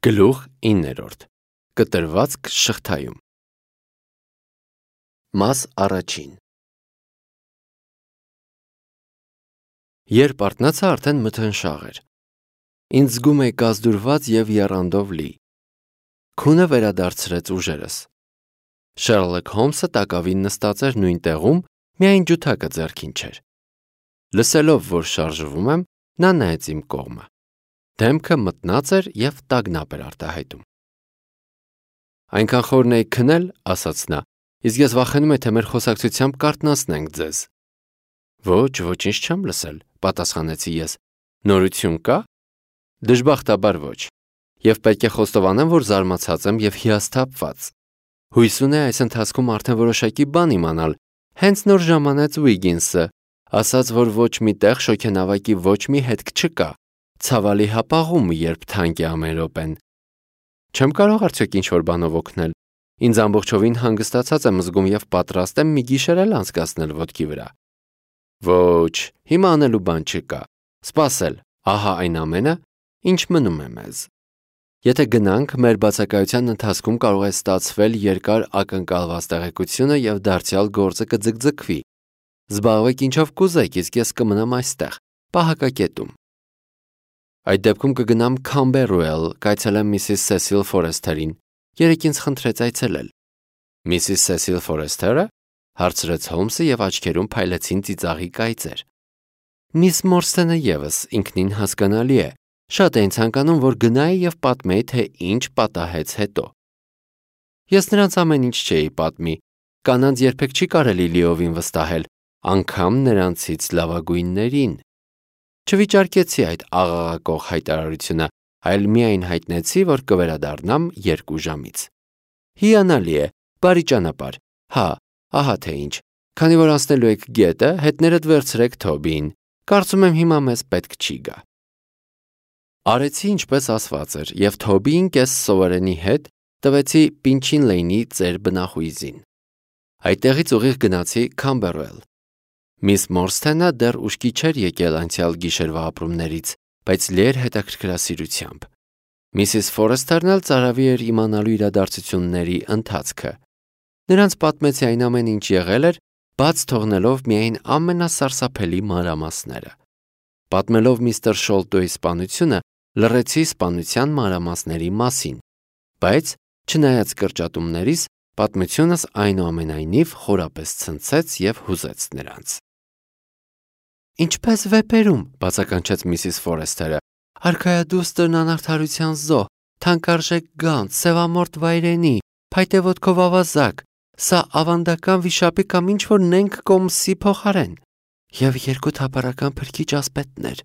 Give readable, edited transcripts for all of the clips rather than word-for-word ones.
Գլուխ 9. Կտրվածք շղթայում։ Մաս առաջին։ Երբ արթնացա, արդեն մթնշաղ էր։ Ինձ զգում էի կազդուրված և եռանդով լի։ Քունը վերադարձրեց ուժերս։ Շերլոք Հոլմսը տակավին նստած էր նույն տեղում, միայն ջութակը ձեռքին չէր։ Լսելով, որ շարժվում եմ, նա նայեց իմ կողմը։ Դեմքը մտնած էր և տագնապ էր արտահայտում։ Այնքան խորն էիք քնել, ասաց նա, իսկ ես վախենում եմ, թե մեր խոսակցությամբ կարթնացնենք ձեզ։ Ոչ, ոչինչ չեմ լսել, պատասխանեցի ես։ Նորություն կա։ Դժբախտաբար ոչ։ Եվ պետք է խոստովանեմ, որ զարմացած եմ և հիասթափված։ Հույս ունեի այս ընթացքում արդեն որոշակի բան իմանալ։ Հենց նոր ժամանեց Ուիգինսը, ասաց, որ ոչ մի տեղ շոգենավակի ոչ մի հետք չկա։ Ցավալի հապաղում, երբ թանկ է ամեն րոպեն։ Չեմ կարող արդյոք ինչ-որ բանով օգնել։ Ինձ ամբողջովին հանգստացած եմ զգում և պատրաստ եմ մի գիշեր էլ անցկացնել ոտքի վրա։ Ոչ, հիմա անելու բան չկա։ Սպասել, ահա այն ամենը, ինչ մնում է մեզ։ Եթե գնանք, մեր բացակայության ընթացքում կարող է ստացվել երկար ակնկալված տեղեկությունը և դարձյալ գործը կձգձգվի։ Զբաղվեք ինչով կուզեք, իսկ ես կմնամ այստեղ, պահակակետում։ Այդ դեպքում կգնամ Քամբերուել, կայցելեմ Միսիս Սեսիլ Ֆորեսթերին։ Երեկ ինձ խնդրեց այցելել։ Միսիս Սեսիլ Ֆորեսթերը, հարցրեց Հոլմսը և աչքերում փայլեցին ծիծաղի կայծեր։ Միս Մորսթենը ևս ինքնին հասկանալի է։ Շատ էին ցանկանում, որ գնայի և պատմեի, թե ինչ պատահեց հետո։ Ես նրանց ամեն ինչ չէի պատմի։ Կանանց երբեք չի կարելի լիովին վստահել, անգամ նրանցից լավագույններին։ Չվիճարկեցի այդ աղաղակող հայտարարությունը, այլ միայն հայտնեցի, որ կվերադառնամ 2 ժամից։ Հիանալի է, բարի ճանապարհ։ Հա, ահա թե ինչ։ Քանի որ անցնելու եք գետը, հետներդ վերցրեք Թոբիին։ Կարծում եմ հիմա մեզ պետք չի գա։ Արեցի ինչպես ասված էր, և Թոբիին կես սովորենի հետ տվեցի Պինչին Լեյնի ծեր բնախույզին։ Այդտեղից ուղիղ գնացի Քամբերուել։ Միս Մորսթենը դեռ ուշքի չէր եկել անցյալ գիշերվա ապրումներից, բայց լի էր հետաքրքրասիրությամբ։ Միսիս Ֆորեսթերն էլ ծարավի էր իմանալու իրադարձությունների ընթացքը։ Նրանց պատմեցի այն ամեն ինչ եղել էր, բաց թողնելով միայն ամենասարսափելի մանրամասները։ Պատմելով միստր Շոլտոյի սպանությունը, լռեցի սպանության մանրամասների մասին, բայց, չնայած կրճատումներիս, պատմությունս այնուամենայնիվ խորապես ցնցեց և հուզեց նրանց։ Ինչպես վեպերում, բացականչեց Միսիս Ֆորեսթերը, արքայադուստրն անարդարության զոհ, թանկարժեք գանձ, սևամորթ վայրենի, փայտե ոտքով ավազակ, սա ավանդական վիշապի կամ ինչ-որ նենգ կոմսի փոխարեն, և 2 թափառական փրկիչ ասպետներ,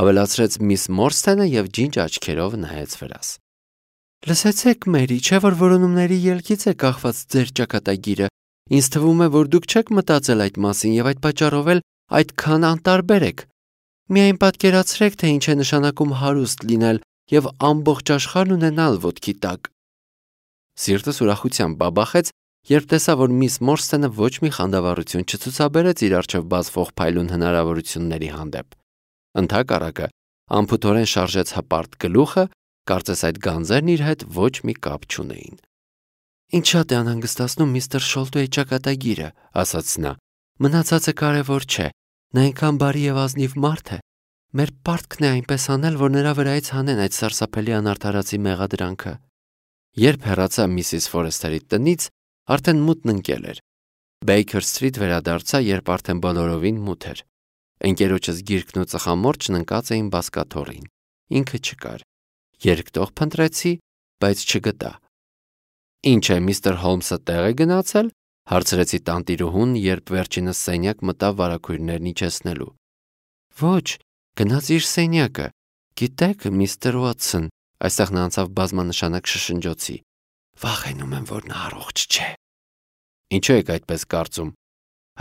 ավելացրեց միս Մորսթենը և ջինջ աչքերով նայեց վրաս։ Լսեցեք, Մերի, չէ՞ որ որոնումների ելքից է կախված ձեր ճակատագիրը։ Ինձ թվում է, որ դուք չեք մտածել այդ մասին և այդ պատճառով էլ այդքան անտարբեր եք։ Միայն պատկերացրեք, թե ինչ է նշանակում հարուստ լինել և ամբողջ աշխարհն ունենալ ոտքի տակ։ Սիրտս ուրախությամբ բաբախեց, երբ տեսա, որ միս Մորսթենը ոչ մի խանդավառություն չցուցաբերեց իր առջև բացվող փայլուն հնարավորությունների հանդեպ։ Ընդհակառակը, անփութորեն շարժեց հպարտ գլուխը, կարծես այդ գանձերն իր հետ ոչ մի կապ չունեին։ Ինչ շատ է անհանգստացնում միստր Շոլտոյի ճակատագիրը, ասաց նա։ Մնացածը կարևոր չէ։ Նա այնքան բարի և ազնիվ մարդ է։ Մեր պարտքն է այնպես անել, որ նրա վրայից հանեն այդ սարսափելի անարդարացի մեղադրանքը։ Երբ հեռացա Միսիս Ֆորեսթերի տնից, արդեն մութն ընկել էր։ Բեյքեր Սթրիթ վերադարձա, երբ արդեն բոլորովին մութ էր։ Ընկերոջս գիրկն ու ծխամորճն ընկած էին բազկաթոռին։ Ինքը չկար։ Երկտող փնտրեցի, բայց չգտա։ Ինչ է, միստր Հոլմսը տեղ է գնացել, հարցրեցի տանտիրուհուն, երբ վերջինս սենյակ մտավ վարագույրներն իջեցնելու։ Ոչ, գնաց իր սենյակը։ Գիտեք, միստր Ուոտսոն, այստեղ նա անցավ բազմանշանակ շշնջոցի։ Վախենում եմ, որ նա առողջ չէ։ Ինչու եք այդպես կարծում։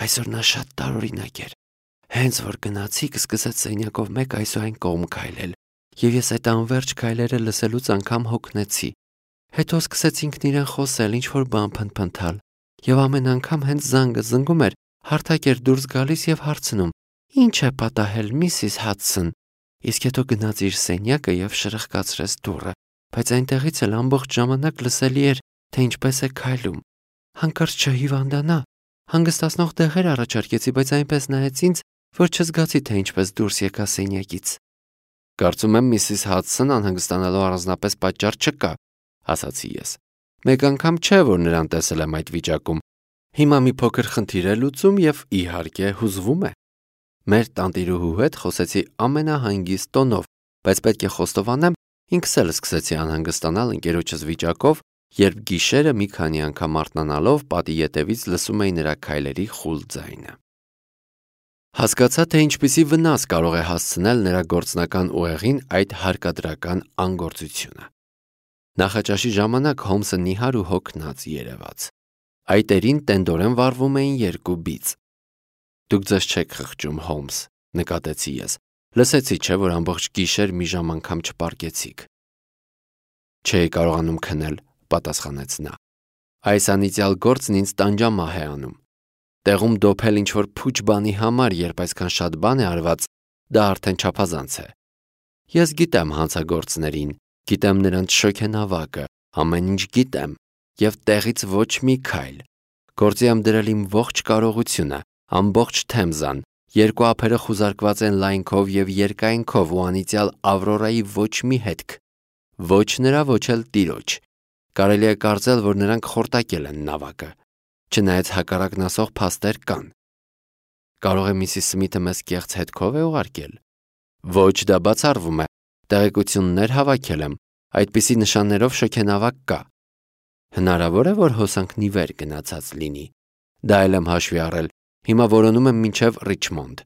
Այսօր նա շատ տարօրինակ էր։ Հենց որ գնացիք, սկսեց սենյակով մեկ այս ու այն կողմ քայլել, և ես այդ անվերջ քայլերը լսելուց անգամ հոգնեցի։ Հետո սկսեց ինքն իրեն խոսել, ինչ-որ բան փնթփնթալ, և ամեն անգամ հենց զանգը զնգում էր, հարթակ էր դուրս գալիս և հարցնում. Ինչ է պատահել, Միսիս Հադսոն։ Իսկ հետո գնաց իր սենյակը և շրխկացրեց դուռը, բայց այնտեղից էլ ամբողջ ժամանակ լսելի էր, թե ինչպես է քայլում։ Հանկարծ չհիվանդանա։ Հանգստացնող դեղեր առաջարկեցի, բայց այնպես նայեց ինձ, որ չզգացի, թե ինչպես դուրս եկա սենյակից։ Կարծում եմ Միսիս Հադսոն անհանգստանալու առանձնապես պատճառ չկա, ասացի ես։ Մեկ անգամ չէ, որ նրան տեսել եմ այդ վիճակում։ Հիմա մի փոքր խնդիր է լուծում եւ իհարկե հուզվում է։ Մեր տանտիրուհու հետ խոսեցի ամենահանգիստ տոնով, բայց պետք է խոստովանեմ, ինքս էլ սկսեցի անհանգստանալ ընկերոջս վիճակով, երբ գիշերը մի քանի անգամ արթնանալով պատի ետևից լսում էի նրա քայլերի խուլ ձայնը։ Հասկացա, թե ինչպիսի վնաս կարող է հասցնել նրա գործնական ուղեղին այդ հարկադրական անգործությունը։ Նախաճաշի ժամանակ Հոլմսը նիհար ու հոգնած երևաց։ Այտերին տենդորեն վառվում էին երկու բիծ։ Դուք ձեզ չեք խղճում, Հոլմս, նկատեցի ես։ Լսեցի, չէ՞ որ ամբողջ գիշեր մի ժամ անգամ չպարկեցիք։ Չէի կարողանում քնել, պատասխանեց նա։ Այս անիծյալ գործն ինձ տանջամահ է անում։ Տեղում դոփել ինչ-որ փուչ բանի համար, երբ այսքան շատ բան է արված, դա արդեն չափազանց է։ Ես գիտեմ հանցագործներին, գիտեմ նրանց շոգենավակը, ամեն ինչ գիտեմ, եւ տեղից ոչ մի քայլ։ Գործի եմ դրել իմ ողջ կարողությունը, ամբողջ թեմզան, երկու ափերը խուզարկված են լայնքով եւ երկայնքով ու անիծյալ Ավրորայի ոչ մի հետք։ Ոչ նրա, ոչ էլ տիրոջ։ Կարելի է կարծել, որ նրանք խորտակել են նավակը։ Չնայած հակառակն ասող փաստեր կան։ Կարող է Միսիս Սմիթը մեզ կեղծ հետքով է ուղարկել։ Ոչ, դա բացառվում է։ Տեղեկություններ հավաքել եմ, այդպիսի նշաններով շոգենավակ կա։ Հնարավոր է, որ հոսանքն ի վեր գնացած լինի։ Դա էլ եմ հաշվի առել։ Հիմա որոնում եմ մինչև Ռիչմոնդ։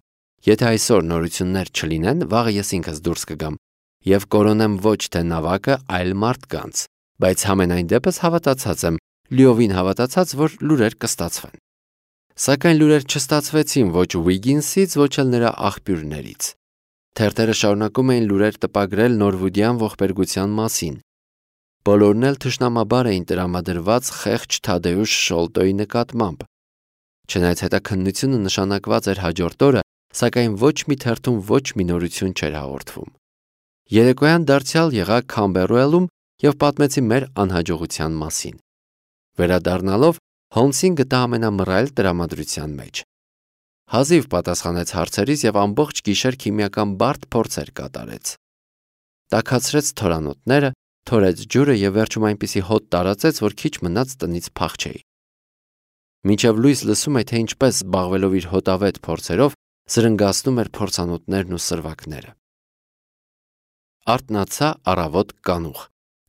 Եթե այսօր նորություններ չլինեն, վաղը ես ինքս դուրս կգամ եւ կորոնեմ ոչ թե նավակը, այլ մարդկանց, բայց համենայն դեպս հավատացած եմ, լիովին հավատացած, որ լուրեր կստացվեն։ Սակայն լուրեր չստացվեցին ոչ Ուիգինսից, ոչ էլ նրա աղբյուրներից։ Թերթերը շարունակում էին լուրեր տպագրել նորվուդյան ողբերգության մասին։ Բոլորն էլ թշնամաբար էին տրամադրված խեղճ Թադեուշ Շոլտոյի նկատմամբ։ Չնայած հետաքննությունը նշանակված էր հաջորդ օրը, սակայն ոչ մի թերթում ոչ մի նորություն չէր հաղորդվում։ Երեկոյան դարձյալ եղա Քամբերուելում եւ պատմեցի մեր անհաջողության մասին։ Վերադառնալով Հոլմսին գտա ամենամռայլ տրամադրության մեջ։ Հազիվ պատասխանեց հարցերից եւ ամբողջ գիշեր քիմիական բարդ փորձեր կատարեց։ Տաքացրեց թորանոթները, թորեց ջուրը եւ վերջում այնպիսի հոտ տարածեց, որ քիչ մնաց տնից փախչեի։ Մինչև լույս լսում է, թե ինչպես զբաղվելով իր հոտավետ փորձերով զրնգացնում էր փորձանոթներն ու սրվակները։ Արթնացա առավոտ կանուխ,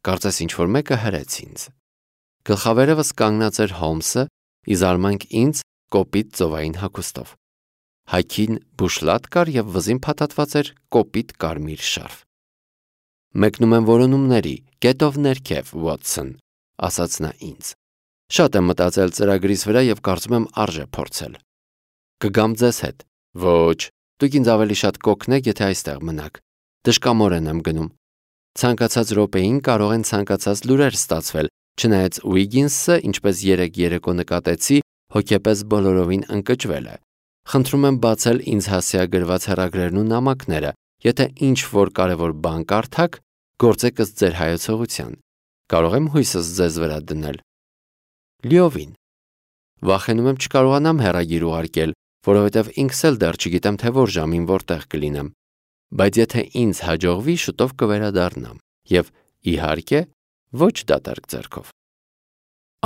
կարծես ինչ-որ մեկը հրեց ինձ։ Գլխավերևս կանգնած էր Հոլմսը, ի զարմանք ինձ կոպիտ ծովային հագուստով։ Հայքին բուշլատ կար եւ վզին փաթաթված էր կոպիտ կարմիր շարֆ։ Մեկնում եմ որոնումների, կետով ներքև, Ուոտսոն, ասաց նա ինձ։ Շատ եմ մտածել ծրագրիս վրա եւ կարծում եմ արժե փորձել։ Կգամ ձեզ հետ։ Ոչ, դուք ինձ ավելի շատ կօգնեք, եթե այստեղ մնաք։ Դժկամորեն եմ գնում։ Ցանկացած րոպեին կարող են ցանկացած լուրեր ստացվել, չնայած Ուիգինսը, ինչպես երեկո նկատեցի, հոգեպես բոլորովին ընկճվել է։ Խնդրում եմ բացել ինձ հասցեագրված հեռագրերն ու նամակները, եթե ինչ-որ կարևոր բան կարդաք, գործեք ըստ ձեր հայեցողության։ Կարող եմ հույսս ձեզ վրա դնել։ Լիովին։ Վախենում եմ չկարողանամ հեռագիր ուղարկել, որովհետև ինքս էլ դեռ չգիտեմ, թե որ ժամին որտեղ կլինեմ։ Բայց եթե ինձ հաջողվի, շուտով կվերադառնամ եւ իհարկե ոչ դատարկ ձեռքով։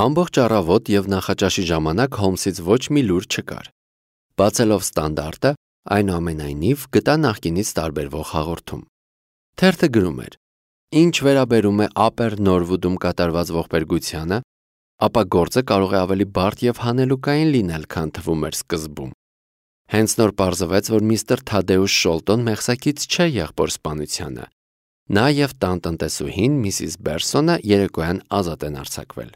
Ամբողջ առավոտ եւ նախաճաշի ժամանակ Հոլմսից ոչ մի լուր չկար։ Բացելով ստանդարտը, այնուամենայնիվ գտա նախկինից տարբերվող հաղորդում։ Թերթը գրում էր. Ինչ վերաբերում է Upper Norwood-ում կատարված ողբերգությանը, ապա գործը կարող է ավելի բարդ եւ հանելուկային լինել, քան թվում էր սկզբում։ Հենց նոր պարզվեց, որ միստր Թադեուշ Շոլտոն մեղսակից չէ եղբորսպանությանը։ Նա եւ տանտնտեսուհին Միսիս Բերսոնը երեկոյան ազատ են արձակվել։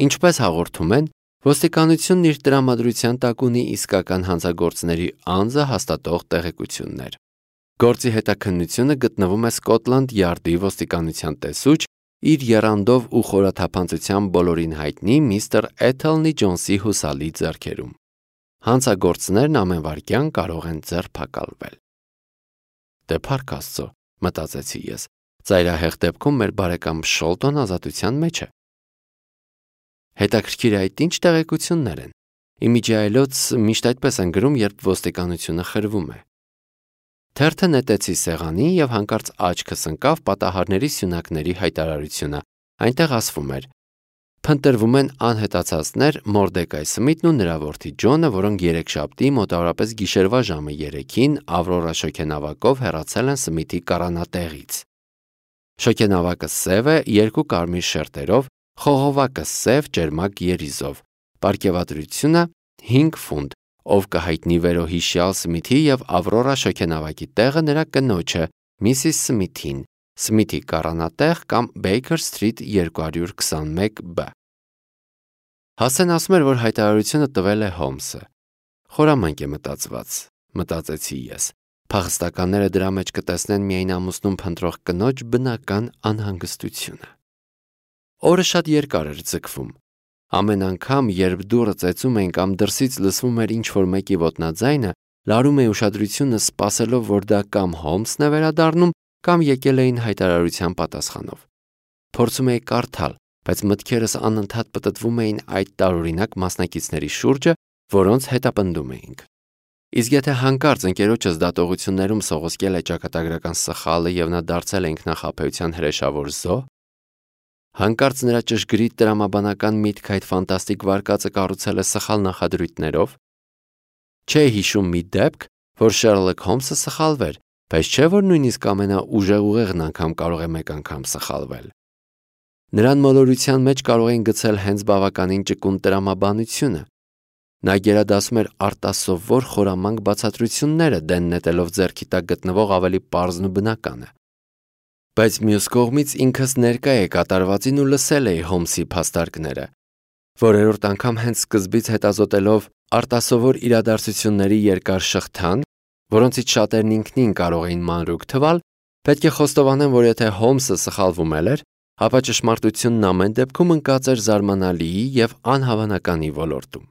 Ինչպես հաղորդում են, ոստիկանությունն իր տրամադրության տակ ունի իսկական հանցագործների անձը հաստատող տեղեկություններ։ Գործի հետաքննությունը գտնվում է Սկոտլանդ Յարդի ոստիկանության տեսուչ, իր եռանդով ու խորաթափանցությամբ բոլորին հայտնի միստր Էթելնի Ջոնսի հուսալի ձեռքերում։ Հանցագործներն ամեն վայրկյան կարող են ձերբակալվել։ Դե փառք Աստծո, մտածեցի ես, Ծայրահեղ դեպքում մեր բարեկամ Շոլտոն ազատության մեջ է։ Հետաքրքիր է այդ ինչ տեղեկություններ են։ Իմիջիայլոց միշտ այդպես են գրում, երբ ոստիկանությունը խրվում է։ Թերթը նետեցի սեղանին և հանկարծ աչքս ընկավ պատահարների սյունակների հայտարարությունը։ Այնտեղ ասվում էր. փնտրվում են անհետացածներ Մորդեկայ Սմիթն ու նրա որդի Ջոնը, որոնք երեքշաբթի մոտավորապես գիշերվա ժամը 3-ին Ավրորա շոգենավակով հեռացել են Սմիթի կառանատեղից։ Շոգենավակը սև է, 2 կարմիր շերտերով, խողովակը սև ջերմակ երիզով։ Պարգևատրությունը 5 ֆունտ, ով կհայտնի վերոհիշյալ Սմիթի և Ավրորա շոգենավակի տեղը նրա կնոջը, Միսիս Սմիթին, Սմիթի կառանատեղ կամ Baker Street 221B։ Հասեն ասում էր, որ հայտարարությունը տվել է Հոլմսը։ Խորամանկ է մտածված, մտածեցի ես։ Փախստականները դրա մեջ կտեսնեն միայն ամուսնուն փնտրող կնոջ բնական անհանգստությունը։ Օրը շատ երկար էր ձգվում։ Ամեն անգամ, երբ դուռը ծեծում էին կամ դրսից լսվում էր ինչ-որ մեկի ոտնաձայնը, լարում էի ուշադրությունը սպասելով, որ դա կամ Հոլմսն է վերադառնում, կամ եկել էին հայտարարության պատասխանով։ Փորձում էի կարդալ, բայց մտքերս անընդհատ պտտվում էին այդ տարօրինակ մասնակիցների շուրջը, որոնց հետապնդում էինք։ Իսկ եթե հանկարծ ընկերոջս դատողություններում սողոսկել է ճակատագրական սխալը և նա դարձել է ինքնախաբեության հրեշավոր զոհ, հանկարծ նրա ճշգրիտ տրամաբանական միտքը այդ ֆանտաստիկ վարկածը կառուցել է սխալ նախադրույթներով։ Չէի հիշում մի դեպք, որ Շերլոք Հոլմսը սխալվեր, բայց չէ՞ որ նույնիսկ ամենաուժեղուղեղն անգամ կարող է մեկ անգամ սխալվել։ Նրան մոլորության մեջ կարող էին գցել հենց բավականին ճկուն տրամաբանությունը։ Նա գերադասում էր արտասովոր խորամանկ բացատրությունները, դեն նետելով ձեռքի տակ գտնվող ավելի պարզն ու բնականը։ Բայց մյուս կողմից ինքս ներկա էի կատարվածին ու լսել էի Հոլմսի փաստարկները։ Որերորդ անգամ հենց սկզբից հետազոտելով արտասովոր իրադարձությունների երկար շղթան, որոնցից շատերն ինքնին կարող էին մանրուք թվալ, պետք է խոստովանեմ, որ եթե Հոլմսը սխալվում էր, ապա ճշմարտությունն ամեն դեպքում ընկած էր զարմանալիի և անհավանականի ոլորտում։